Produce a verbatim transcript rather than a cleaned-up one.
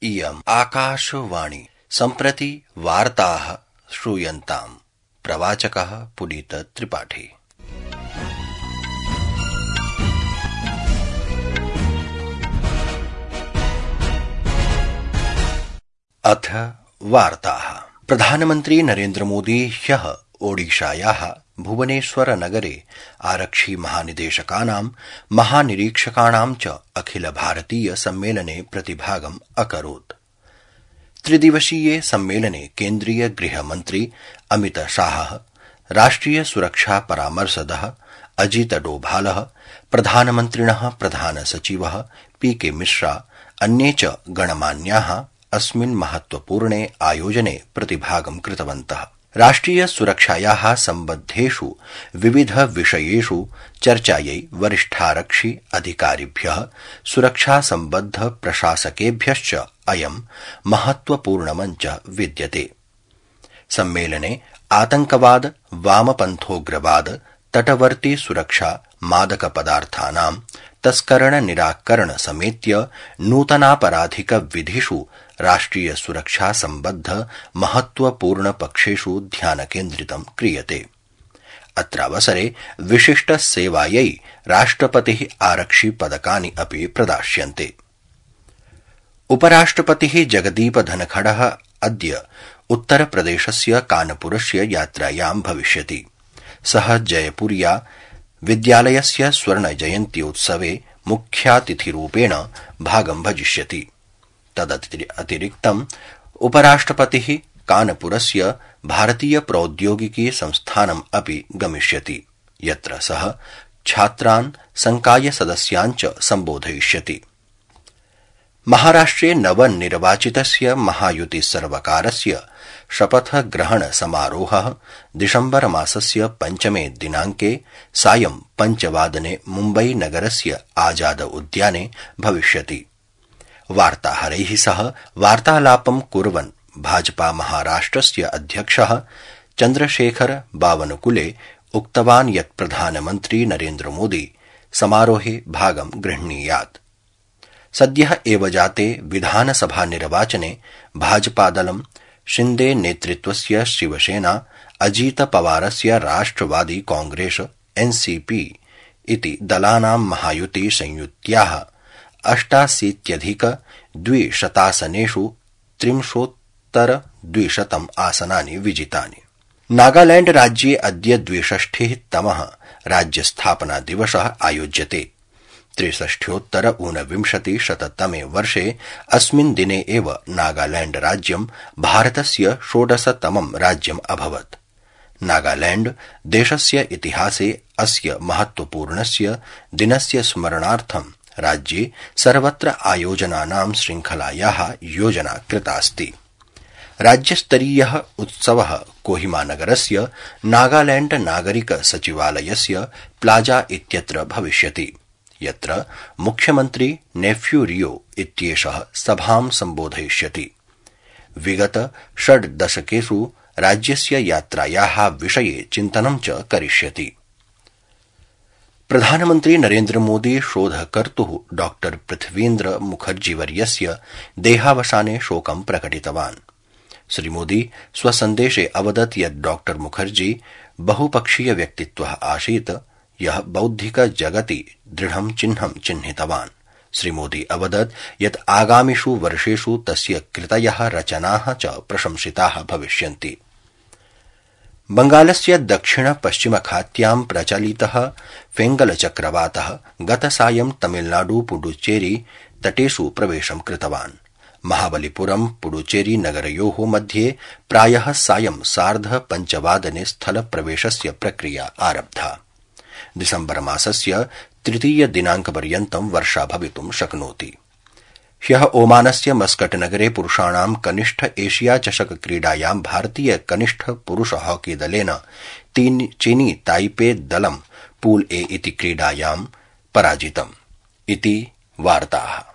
इयम् आकाशवाणी सम्प्रति वार्ताः श्रूयन्ताम्। प्रवाचकः पुनीत त्रिपाठी। अथ वार्ताः। प्रधानमन्त्री नरेन्द्र मोदी ह्यः ओडिशायाः भुवनेश्वर नगरे आरक्षि महानिदेशकानां महानिरीक्षकाणां च अखिल भारतीय सम्मेलने प्रतिभागम् अकरोत्। त्रिदिवसीये सम्मेलने केन्द्रीय गृहमन्त्री अमित शाहः, राष्ट्रिय सुरक्षा परामर्शदः अजित डोभालः, प्रधानमन्त्रिणः प्रधान सचिवः पी के मिश्रा, अन्ये च गणमान्याः अस्मिन् महत्वपूर्णे आयोजने प्रतिभागं कृतवन्तः। राष्ट्रिय सुरक्षायाः सम्बद्धेषु विविध विषयेषु चर्चायै वरिष्ठारक्षि अधिकारिभ्यः सुरक्षा सम्बद्ध प्रशासकेभ्यश्च अयं महत्वपूर्णमञ्च विद्यते। सम्मेलने आतंकवाद, वामपन्थोग्रवाद, तटवर्ती सुरक्षा, मादक पदार्थानां तस्करण निराकरण समेत्य नूतनापराधिक विधिषु राष्ट्रिय सुरक्षा सम्बद्ध महत्वपूर्ण पक्षेषु ध्यान केन्द्रितं क्रियते। अत्रावसरे विशिष्ट सेवायै राष्ट्रपतिः आरक्षि पदकानि अपि प्रदास्यन्ते। उपराष्ट्रपतिः जगदीप धनखडः अद्य उत्तरप्रदेशस्य कानपुरस्य यात्रायां भविष्यति। सः जयपुर्या विद्यालयस्य स्वर्ण जयन्त्योत्सवे मुख्यातिथिरूपेण भागं भजिष्यति। तदतिरिक्तम् उपराष्ट्रपतिः कानपुरस्य भारतीय प्रौद्योगिकी संस्थानम् अपि गमिष्यति, यत्र सः छात्रान् संकाय सदस्यान् च सम्बोधयिष्यति। महाराष्ट्रे नवनिर्वाचितस्य महायुति सर्वकारस्य शपथग्रहण समारोहः दिसम्बर मासस्य पञ्चमे दिनाङ्के सायं पञ्चवादने मुम्बई नगरस्य आजाद उद्याने भविष्यति। वार्ताहरैः सह वार्तालापं कुर्वन् भाजपा महाराष्ट्रस्य अध्यक्षः चन्द्रशेखर बावनकुले उक्तवान् यत् प्रधानमन्त्री नरेन्द्र मोदी समारोहे भागं गृह्णीयात्। सद्यः एव जाते विधानसभा निर्वाचने भाजपादलं शिन्दे नेतृत्वस्य शिवसेना, अजीत पवारस्य राष्ट्रवादी कांग्रेस एनसीपी इति दलानां महायुति संयुत्याः अष्टाशीत्यधिक द्विशतासनेषु त्रिंशोत्तर द्विशतम् आसनानि विजितानि। नागालैंड राज्ये अद्य द्विषष्टिः तमः राज्यस्थापना दिवसः आयोज्यते। त्रिषष्ट्योत्तर ऊनविंशति शततमे वर्षे अस्मिन् दिने एव नागालैंड राज्यं भारतस्य षोडशतमं राज्यम् अभवत्। नागालैंड देशस्य इतिहासे अस्य महत्वपूर्णस्य दिनस्य स्मरणार्थं राज्ये सर्वत्र आयोजनानां श्रृंखलायाः योजना कृतास्ति। राज्यस्तरीयः उत्सवः कोहिमानगरस्य नागालैंड नागरिक सचिवालयस्य प्लाजा इत्यत्र भविष्यति, यत्र मुख्यमन्त्री नेफ्यू रियो इत्येषः सभां सम्बोधयिष्यति। विगत षड् दशकेषु राज्यस्य यात्रायाः विषये चिन्तनं च करिष्यति। प्रधानमन्त्री नरेन्द्र मोदी शोधकर्तुः डॉ पृथ्वीन्द्र मुखर्जीवर्यस्य देहावसाने शोकं प्रकटितवान्। श्रीमोदी स्वसन्देशे अवदत् यत् डॉ मुखर्जी बहुपक्षीय व्यक्तित्वः आसीत्, यः बौद्धिक जगति दृढं चिह्नं चिह्नितवान्। श्रीमोदी अवदत् यत् आगामिषु वर्षेषु तस्य कृतयः रचनाः च प्रशंसिताः भविष्यन्ति। बंगालस्य दक्षिण पश्चिम खात्यां प्रचलितः फेंगल चक्रवातः गतसायं तमिलनाडु पुडुचेरी तटेषु प्रवेशं कृतवान्। महाबलिपुरम पुडुचेरी नगरयोः मध्ये प्रायः सायं सार्ध पञ्चवादने स्थल प्रवेशस्य प्रक्रिया आरब्धा। दिसम्बर मासस्य तृतीय दिनांकपर्यन्तं वर्षा भवितुं शक्नोति। ह्यः ओमानस्य मस्कट नगरे पुरुषाणां कनिष्ठ एशिया चषक क्रीडायां भारतीय कनिष्ठ पुरुष हॉकी दलेन चीनी ताइपे दलं पूल ए इति क्रीडायां पराजितम् इति वार्ताः।